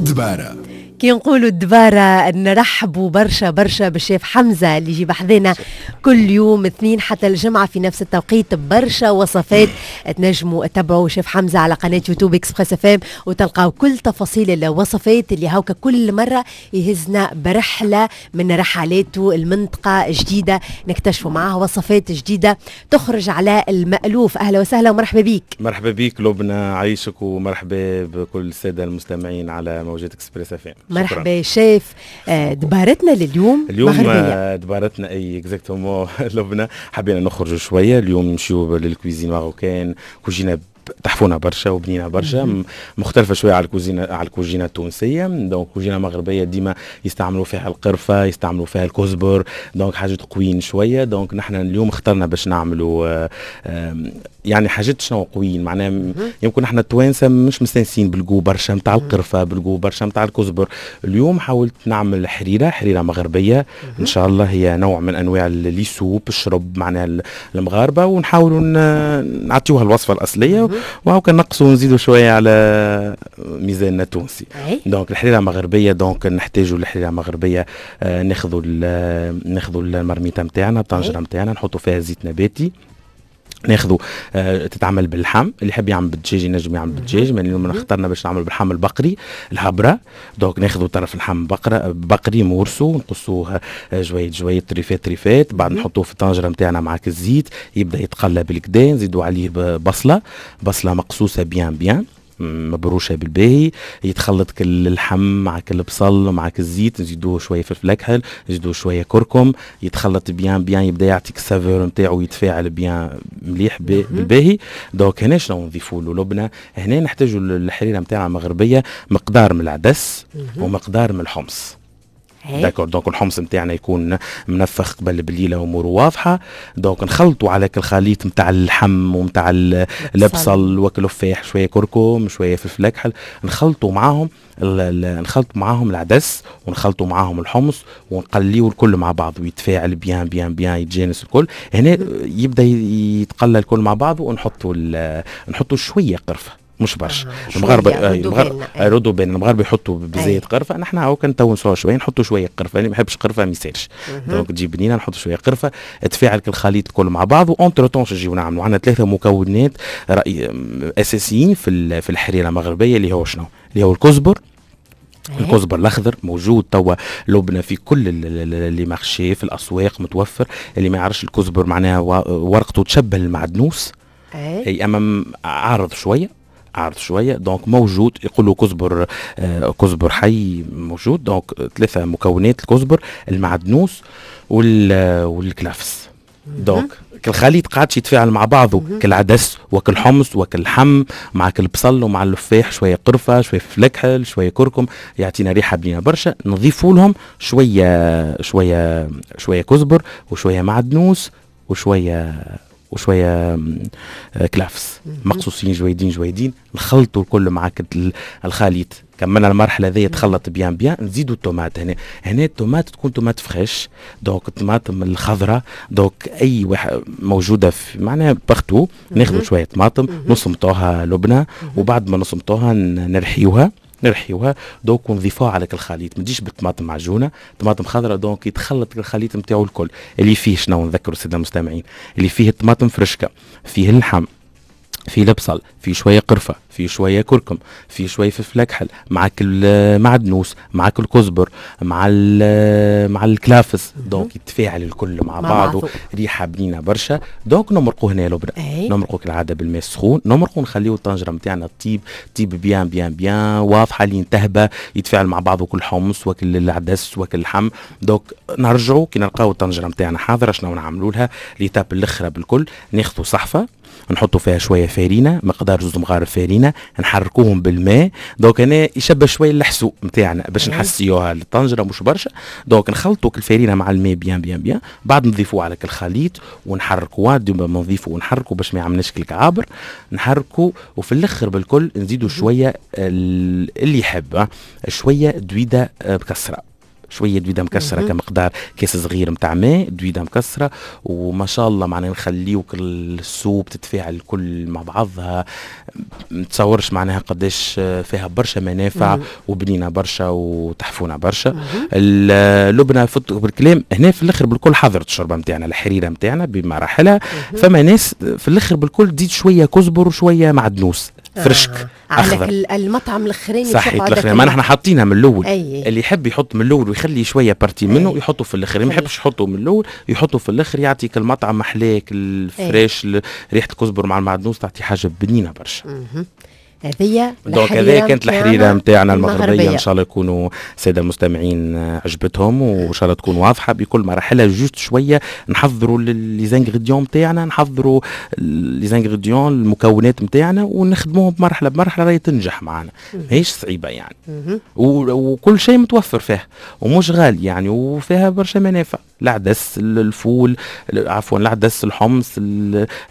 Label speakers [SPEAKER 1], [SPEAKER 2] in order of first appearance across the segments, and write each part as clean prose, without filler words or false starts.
[SPEAKER 1] الدبارة.
[SPEAKER 2] كي نقولوا الدبارة نرحبوا برشا برشا بالشيف حمزة اللي يجي بحذنا كل يوم اثنين حتى الجمعة في نفس التوقيت، برشا وصفات. تنجموا تتبعوا شيف حمزة على قناة يوتيوب Express FM وتلقاو كل تفاصيل الوصفات اللي هاوكا كل مرة يهزنا برحلة من رحلاته المنطقة جديدة، نكتشفوا معاه وصفات جديدة تخرج على المألوف. أهلا وسهلا ومرحبا بك.
[SPEAKER 3] مرحبا بك لبنى، عايشك، ومرحبا بكل السادة المستمعين على موجات Express FM.
[SPEAKER 2] مرحبا شيف. دبارتنا لليوم؟
[SPEAKER 3] اليوم
[SPEAKER 2] مغربية.
[SPEAKER 3] دبارتنا، اي exactement لبنى، حبينا نخرجوا شوية اليوم، نمشيو لل cuisine marocaine، كوجينه تحفونا برشا وبنينه برشا، مختلفة شوية على الكوجينه التونسيه. donc كوجينه مغربية ديما يستعملوا فيها القرفه، يستعملوا فيها الكزبر، donc حاجات قويين شويه. donc نحن اليوم اخترنا باش نعملوا يعني حاجات شنو قويين، معناها يمكن احنا التوانسة مش مستانسين بال goût برشا نتاع القرفه، بال goût برشا نتاع الكزبر. اليوم حاولت نعمل حريره، حريره مغربية ان شاء الله، هي نوع من انواع les soupes، الشرب معناها المغاربه، ونحاولوا نعطيوها الوصفة الاصلية وهو نقصوا ونزيدوا شوية على ميزاننا التونسي. donc الحريره مغربيه، donc نحتاجوا الحريره المغربيه، ناخذوا المرميته نتاعنا، الطنجره نتاعنا، نحطوا فيها زيت نباتي. ناخذوا تتعمل باللحم، اللي يحب يعمل بالدجاج ينجم يعمل بالدجاج، من اليوم اخترنا باش نعمل باللحم البقري الهبره. donc ناخذوا طرف اللحم بقري morceaux، نقصوه جويد جويد، تريفات تريفات، بعد نحطوه في الطنجره نتاعنا مع الزيت، يبدا يتقلى بالقدا. نزيدوا عليه بصله، بصله مقصوصة bien bien، مبروشه بالباهي، يتخلط كل اللحم مع كل البصل مع الزيت. نزيدوه شوية فلفل اكحل، نزيدوه شوية كركم، يتخلط bien bien، يبدا يعطيك ال saveur نتاعو، يتفاعل bien مليح بالباهي. donc هنا شنو نضيفوا له لبنى؟ هنا نحتاجوا الحريره نتاعنا المغربية مقدار من العدس ومقدار من الحمص. d'accord، donc الحمص نتاعنا يكون منفخ قبل بليله، اموره واضحه. donc نخلطوا على الخليط نتاع اللحم ونتاع البصل وكل شوية كركم، شوية فلفل اكحل، نخلطوا معاهم العدس ونخلطوا معاهم الحمص ونقليو الكل مع بعض ويتفاعل bien bien bien، يتجانس الكل. هنا يبدا يتقلى الكل مع بعض ونحطوا نحطوا شوية قرفه، مش برشا. المغاربة المغاربة ردوا بالنا، المغاربة يحطوا بزايد قرفه، نحن هاو كان نتونسوها شويه، نحطوا شوية قرفه، اللي ما يحبش قرفه ما يسالش. donc تجي بنينه، نحطوا شوية قرفه، تفاعل الخليط الكل مع بعض. و entre-temps نجيو نعملوا، عندنا ثلاثة مكونات اساسيين في الحريره المغربيه، اللي هو شنو؟ اللي هو الكزبر. الكزبر الاخضر موجود توا لبنى في كل les marchés، في الاسواق متوفر. اللي ما يعرفش الكزبر، معناها ورقته تشبه المعدنوس، اي اما عارض شويه، عارض شويه. donc موجود، يقولوا كزبر كزبر حي موجود. donc ثلاثة مكونات: الكزبر، المعدنوس، والكلافس. donc الخليط قاعد يتفاعل مع بعضه، كالعدس وكل حمص وكل لحم مع كل بصل ومع اللفاح، شوية قرفه، شوية فلفل اكحل، شوية كركم، يعطينا ريحه بنينه برشا. نضيفوا لهم شوية شوية شوية كزبر وشوية معدنوس وشويه كلافس مقصوصين جويدين جويدين، نخلطوا الكل مع الخليط. كملنا المرحلة ذي، تخلط bien bien، نزيدوا التومات هنا. هنا التومات تكون tomate fraîche، donc الطماطم الخضراء، donc اي واحد موجودة في معناها partout. ناخذوا شوية طماطم نصمتوها لبنى، وبعد ما نصمتوها نرحيوها نرحيوها، donc ونضيفوها على الخليط. ما تجيش بالطماطم معجونه، طماطم خضراء. donc يتخلط الخليط نتاعو الكل، اللي فيه شنو؟ نذكروا السادة المستمعين، اللي فيه الطماطم فرشكه، فيه اللحم، في البصل، في شوية قرفه، في شوية كركم، في شوية فلفل اكحل، معك المعدنوس، معك الكزبر، مع الكلافس. donc يتفاعل الكل مع بعضه، ريحه بنينه برشا. donc نمرقوا هنا لبنى، نمرقوا كالعادة بالماء السخون، نمرقوا، نخليو الطنجره نتاعنا تطيب، تطيب bien bien bien، واضحة لين تهبى، يتفاعل مع بعضه كل حمص وكل العدس وكل اللحم. donc نرجعوا كي نلقاو الطنجره نتاعنا حاضره، شنو نعملوا لها؟ l'étape الاخرى بالكل، ناخذوا صحفه نحطوا فيها شوية فارينه، مقدار زوز مغارف فارينه، نحركوهم بالماء. donc هنا يشبه شوية الحسو نتاعنا باش نحسيوها للطنجره، مش برشا. donc نخلطوا الفارينه مع الماء bien bien bien، بعد نضيفوه على الخليط ونحركوها. دوما نضيفوا ونحركوا باش ما يعملناش الكعابر، نحركوا. وفي الاخر بالكل نزيدوا شويه، اللي يحب، شوية دويده مكسره. شوية دويده مكسرة كمقدار كاس صغير نتاع ماء، دويده مكسره، وما شاء الله معناها نخليوك ال soupe تتفاعل الكل مع بعضها. متصورش معناها قداش فيها برشا منافع وبنينه برشا وتحفونه برشا. اللبنة فت بالكلام هنا في الاخر بالكل حضرت الشوربة نتاعنا، الحريره نتاعنا بمراحلها. فما ناس في الاخر بالكل تزيد شوية كزبر وشوية معدنوس فرشك
[SPEAKER 2] اخضر على المطعم الاخراني.
[SPEAKER 3] صحيح، الاخراني ما نحن حاطينها من الاول. اللي يحب يحط من الاول ويخلي شوية partie منه يحطه في الاخر، اللي ما يحبش يحطه من الاول يحطه في الاخر، يعطيك المطعم محلاك ال fraîche، ريحه الكزبر مع المعدنوس تعطي حاجة بنينه برشا.
[SPEAKER 2] هذه
[SPEAKER 3] donc هذه كانت الحريره نتاعنا المغربيه. ان شاء الله يكونوا السادة المستمعين عجبتهم، وان شاء الله تكون واضحة بكل مراحلها. juste شوية نحضروا les ingrédients نتاعنا، نحضروا les ingrédients، المكونات نتاعنا، ونخدموهم بمرحلة بمرحله، راهي تنجح معنا، ماهيش صعيبة يعني، وكل شيء متوفر فيها ومش غالي يعني، وفيها برشا منافع: العدس، الفول، عفوا، العدس، الحمص،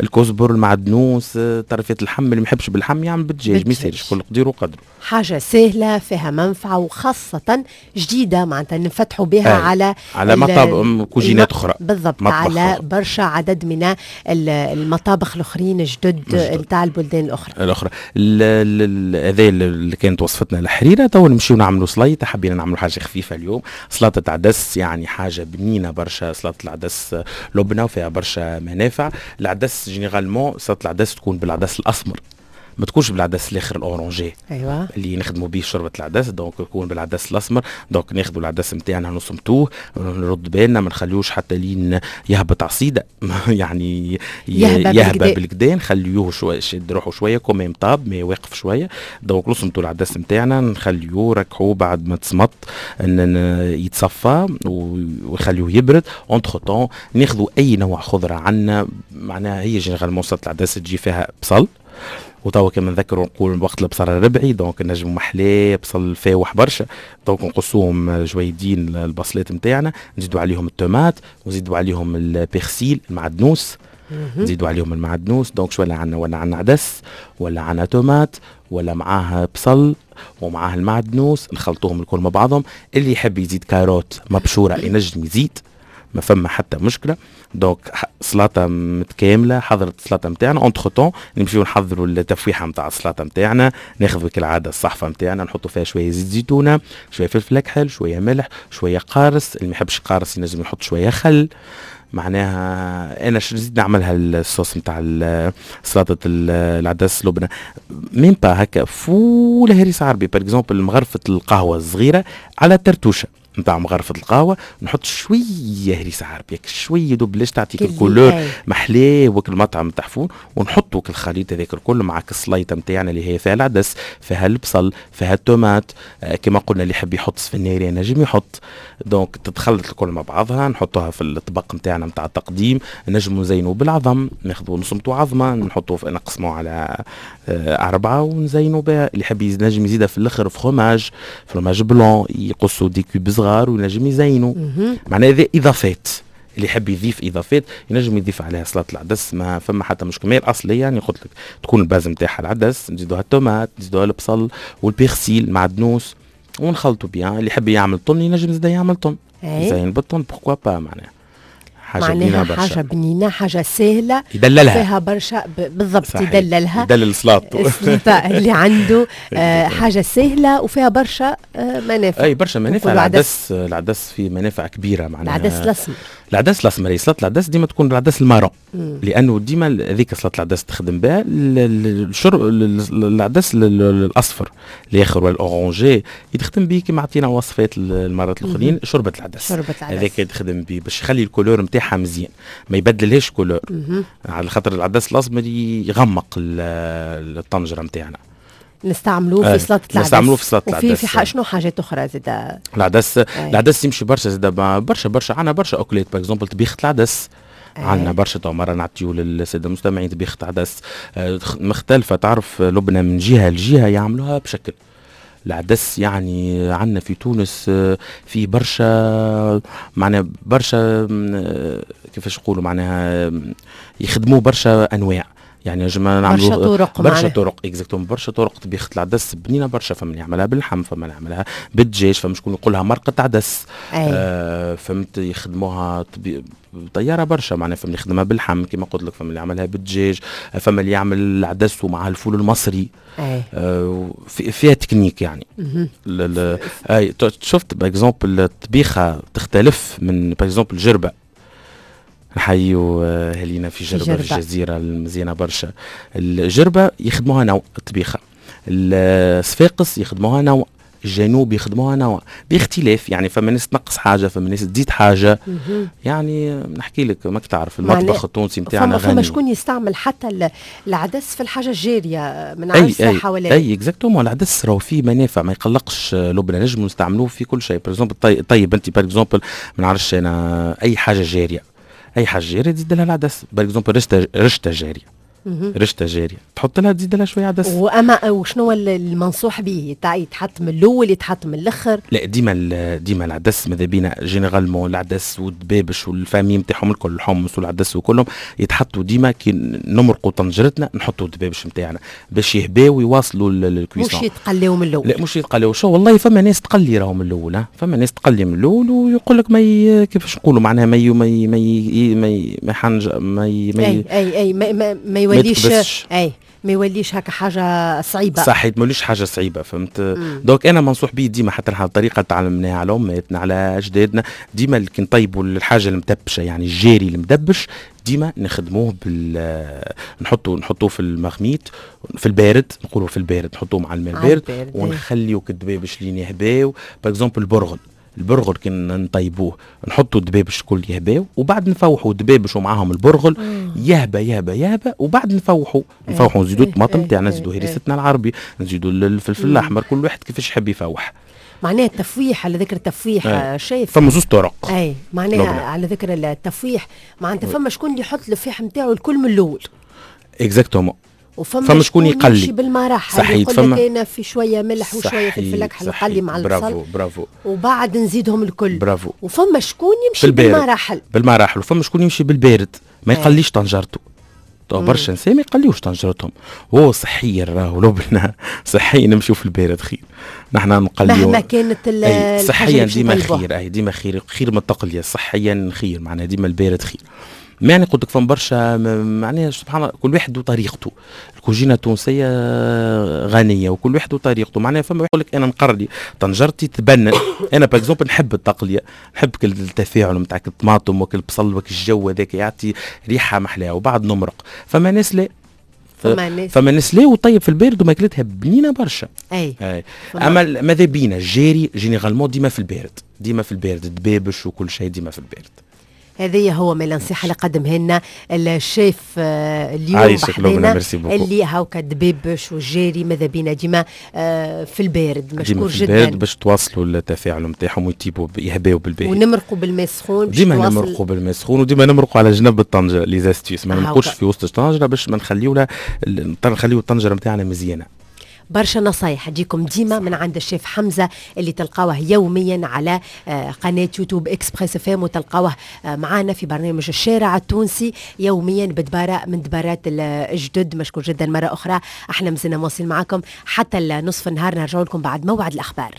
[SPEAKER 3] الكزبر، المعدنوس، طرفات اللحم. اللي ما يحبش باللحم يعمل بالدجاج، ما يسالش، كل قدير وقدره.
[SPEAKER 2] حاجة سهلة فيها منفعة وخاصة جديدة، معناتها نفتحوا بها على
[SPEAKER 3] على مطابخ cuisine ات أخرى.
[SPEAKER 2] بالضبط، على برشا عدد من المطابخ الأخرين الجدد نتاع البلدان الأخرى.
[SPEAKER 3] الأخرى. هذا اللي كانت وصفتنا الحريرة. تو نمشيو نعملوا سليطة، حبينا نعملوا حاجة خفيفة اليوم، سلطة عدس، يعني حاجة بنينة برشا. سلطة العدس لبنة وفيها برشا منافع. العدس généralement سلطة العدس تكون بالعدس الأسمر، ما تكونش بالعدس الاخر ال orangé اللي نخدموا به شوربة العدس، donc يكون بالعدس الاسمر. donc ناخذوا العدس نتاعنا نصمتوه، نرد بالنا ما نخليوش حتى لين يهبط عصيده، يعني يهبى بالكدا، نخليوه شوية يشد روحه شويه، quand même طاب mais واقف شويه. donc نصمتوا العدس نتاعنا، نخليوه ركحوه بعد ما تصمت ان يتصفى ويخليوه يبرد. entre-temps ناخذوا اي نوع خضرة عندنا، معناها هي généralement سلطة العدس تجي فيها بصل، وتوا كما نذكروا نقول وقت البصل الربعي، donc نجمو محلاه بصل فاوح برشا، donc نقصوهم جويدين البصلات نتاعنا، نزيدوا عليهم التومات ونزيدوا عليهم ال persil، المعدنوس، نزيدوا عليهم المعدنوس. donc شو ولا عندنا؟ ولا عندنا عدس، ولا عندنا تومات، ولا معاها بصل ومعاه المعدنوس، نخلطوهم الكل مع بعضهم. اللي يحب يزيد carotte مبشوره ينجم يزيد، ما فما حتى مشكله. donc سلطة متكامله، حضرت السلطة نتاعنا. entre-temps نمشيو نحضروا التفويحه نتاع السلطة نتاعنا. ناخذ كالعادة الصحفه نتاعنا، نحطوا فيها شوية زيت زيتونه، شوية فلفل اكحل، شوية ملح، شوية قارص. اللي ما يحبش قارص ينجم يحط شوية خل. معناها انا شو نزيد نعملها الصوص نتاع سلطة العدس لبنى؟ même pas هكا فول هريس عربي par exemple، مغرفه القهوة الصغيرة على ترتوشه نتاع مغرفة القهوة نحط شوية هريسة عربية، شوية دوب تعطيك ال couleur محلاه وك المطعم تحفون. ونحطوا الخليط هذاك الكل مع السليطة نتاعنا اللي هي فيها العدس، فيها البصل، فيها التومات. كما قلنا اللي يحب يحط سفناري نجم يحط. donc تتخلط الكل مع بعضها، نحطوها في الطبق نتاعنا نتاع التقديم. نجموا نزينوا بالعظم، ناخذوا نصمتوا عظمة، نحطوا نقسموا على أربعة ونزينوا بها. اللي يحب ينجم يزيدها في الآخر fromage، fromage blanc، يقصوا des cubes صغار وينجم يزينوا. معناها هذه اضافات، اللي يحب يضيف اضافات ينجم يضيف عليها سلطة العدس، ما فما حتى مشكل. mais الاصلية يعني قلت لك تكون ال base نتاعها العدس، نزيدوها التومات، نزيدوها البصل وال persil، معدنوس، ونخلطوا bien. اللي يحب يعمل thon ينجم زاد يعمل thon، يزين بال thon، pourquoi pas. معناها
[SPEAKER 2] حاجة بنينه برشا، حاجة بنينه، حاجة سهله.
[SPEAKER 3] يدللها.
[SPEAKER 2] فيها برشا، بالضبط. صحيح. يدللها.
[SPEAKER 3] يدلل سلاطته.
[SPEAKER 2] السلطة اللي عنده حاجة سهلة وفيها برشا منافع.
[SPEAKER 3] اي، برشا منافع. العدس، العدس فيه منافع كبيرة معناها.
[SPEAKER 2] العدس الاسمر.
[SPEAKER 3] العدس الاسمر. هي سلطة العدس ديما تكون بالعدس ال marron، لانه ديما هذيك سلطة العدس تخدم بها الشرب. العدس الاصفر الاخر ولا ال orangé يتخدم به كما عطينا وصفات المرات الاخرين، شوربة العدس.
[SPEAKER 2] شوربة العدس.
[SPEAKER 3] هذاك يتخدم به باش يخلي ال couleur نتاعها مزيان، ما يبدلهاش couleur، على خاطر العدس الاسمر يغمق الطنجره نتاعنا.
[SPEAKER 2] نستعملوه في سلطة العدس.
[SPEAKER 3] نستعملوه في سلطة
[SPEAKER 2] العدس. وفي في شنو حاجات اخرى زاد؟
[SPEAKER 3] العدس، العدس يمشي برشا زاد، برشا برشا، عندنا برشا اكلات، par exemple طبيخه العدس عندنا برشا. تو مرة نعطيو للسادة المستمعين طبيخه عدس مختلفه. تعرف لبنى من جهة لجهة يعملوها بشكل. العدس يعني عندنا في تونس في برشا، معناها برشا، كيفاش نقولوا، معناها يخدموه برشا انواع. يعني نجم نعملوا
[SPEAKER 2] برشا طرق.
[SPEAKER 3] برشا طرق، exactement، برشا طرق. طبيخه العدس بنينه برشا، فما اللي يعملها باللحم، فما اللي يعملها بالدجاج، فما شكون يقولها مرقه عدس. فهمت، يخدموها طيارة برشا، معناها فما اللي يخدمها باللحم كما قلت لك، فما اللي يعملها بالدجاج، فما اللي يعمل العدس ومع الفول المصري. فيها تكنيك يعني. اي، شفت par exemple الطبيخه تختلف من par exemple جربه، نحيو اهالينا في جربة، في الجزيرة المزيانة برشا. الجربة يخدموها نوع الطبيخة، الصفاقس يخدموها نوع، الجنوب يخدموها نوع، باختلاف يعني، فما ناس تنقص حاجه، فما ناس تزيد حاجه. يعني نحكي لك، ماك تعرف المطبخ التونسي نتاعنا
[SPEAKER 2] غني. فما شكون يستعمل حتى العدس في الحاجة الجارية من عند
[SPEAKER 3] الصحة ولا اي، exactement. العدس راهو فيه منافع، ما يقلقش لبنى، نجم نستعملوه في كل شيء. par exemple طيب انت par exemple ما نعرفش انا اي حاجة جاريه، اي حاجة جارية تزيد لها العدس. par exemple رشته، رشته جاريه، رشته جارية تحط لها، تزيد لها شوية عدس.
[SPEAKER 2] واما وشنو المنصوح به؟ يتحط من الاول، يتحط من الاخر؟
[SPEAKER 3] لا، ديما ديما العدس ماذا بينا généralement العدس والدبابش وال famille نتاعهم الكل، الحمص والعدس وكلهم يتحطوا ديما كي نمرقوا طنجرتنا، نحطوا الدبابش نتاعنا باش يهباو ويواصلوا
[SPEAKER 2] ال cuisson. مش يتقليو من الاول؟
[SPEAKER 3] لا، مش يتقليو. شو والله فما ناس تقلي راهو من الاول، فما ناس تقلي من الاول ويقول لك ما كيفاش نقولوا معناها ما ما ما ما ما حنج ما
[SPEAKER 2] ما اي اي اي ما, ما, ما يوليش، اي، ما يوليش هكا حاجة صعيبه.
[SPEAKER 3] صحيح، ما يوليش حاجة صعيبه، فهمت. donc انا منصوح به ديما، حتى الطريقة تعلمناها على اماتنا، على اجدادنا، ديما كي نطيبوا الحاجة المدبشه، يعني الجاري المدبش، ديما نخدموه بال نحطوه في ال marmite في البارد، نقولوا في البارد، نحطوه مع الماء البارد ونخليو الدبابش لين يهباو. par exemple البرغل، البرغل كي نطيبوه نحطوا الدبابش الكل يهباو وبعد نفوحوا الدبابش ومعاهم البرغل، يهبى يهبى يهبى وبعد نفوحوا، نفوحوا، نزيدوا الطماطم تاعنا، نزيدوا هريستنا العربي، نزيدوا الفلفل الاحمر، كل واحد كيفاش يحب يفوح.
[SPEAKER 2] معناها التفويح، على ذكر التفويح شايف.
[SPEAKER 3] فما زوز طرق.
[SPEAKER 2] اي، معناها على ذكر التفويح، معناتها فما شكون اللي يحط الفيح نتاعو الكل من الاول.
[SPEAKER 3] exactement.
[SPEAKER 2] وفما فما شكون يقلي بالمراحل.
[SPEAKER 3] صحيح.
[SPEAKER 2] فما يقول في شوية ملح وشوية فلفل اكحل وقلي مع البصل.
[SPEAKER 3] برافو برافو.
[SPEAKER 2] وبعد نزيدهم الكل.
[SPEAKER 3] برافو.
[SPEAKER 2] وفما شكون يمشي بالمراحل.
[SPEAKER 3] بالمراحل، وفما شكون يمشي بالبارد، ما يقليش طنجرته. برشا نساء ما يقليوش طنجرتهم. هو صحيا راهو لبنى صحيا نمشيو في البارد خير، نحن نقليو
[SPEAKER 2] مهما كانت.
[SPEAKER 3] صحيا ديما خير، اي، ديما خير، خير من التقليه صحيا خير، معناها ديما البارد خير. يعني قلت لك فما برشا، معناها سبحان الله كل واحد وطريقته. الكوجينه التونسية غنية وكل واحد وطريقته. معناها فما يقول لك انا نقلي طنجرتي تبنن. انا par exemple نحب التقليه، نحب كل التفاعل نتاع الطماطم وكل البصل وكل الجو هذاك يعطي ريحه محلاها وبعد نمرق. فما ناس لا، فما ناس لا، وطيب في البارد وماكلتها بنينه برشا.
[SPEAKER 2] اي.
[SPEAKER 3] اما ماذا بينا الجاري généralement ديما في البارد، ديما في البارد، دبابش وكل شيء ديما في البارد.
[SPEAKER 2] هذه هو من النصيحة اللي قدمها لنا الشيف اليوم بحذانا، اللي هاوكا دبيبش والجاري ماذا بينا ديما في البارد. مشكور
[SPEAKER 3] في جدا. البارد باش تواصلوا التفاعل نتاعهم ويطيبوا، يهباو بالباهي.
[SPEAKER 2] ونمرقوا بالماء السخون.
[SPEAKER 3] ديما نمرقوا بالماء السخون وديما نمرقوا على جنب الطنجره، les astuces، ما نمرقوش في وسط الطنجره باش ما نخليو نخليو الطنجره نتاعنا مزيانه.
[SPEAKER 2] برشا نصايح تجيكم ديما من عند الشيف حمزة اللي تلقاوه يوميا على قناة يوتيوب Express FM، وتلقاوه معنا في برنامج الشارع التونسي يوميا بدبارة من دبارات الجدد. مشكور جدا مرة أخرى. احنا مازلنا مواصلين معكم حتى نصف النهار، نرجع لكم بعد موعد الأخبار.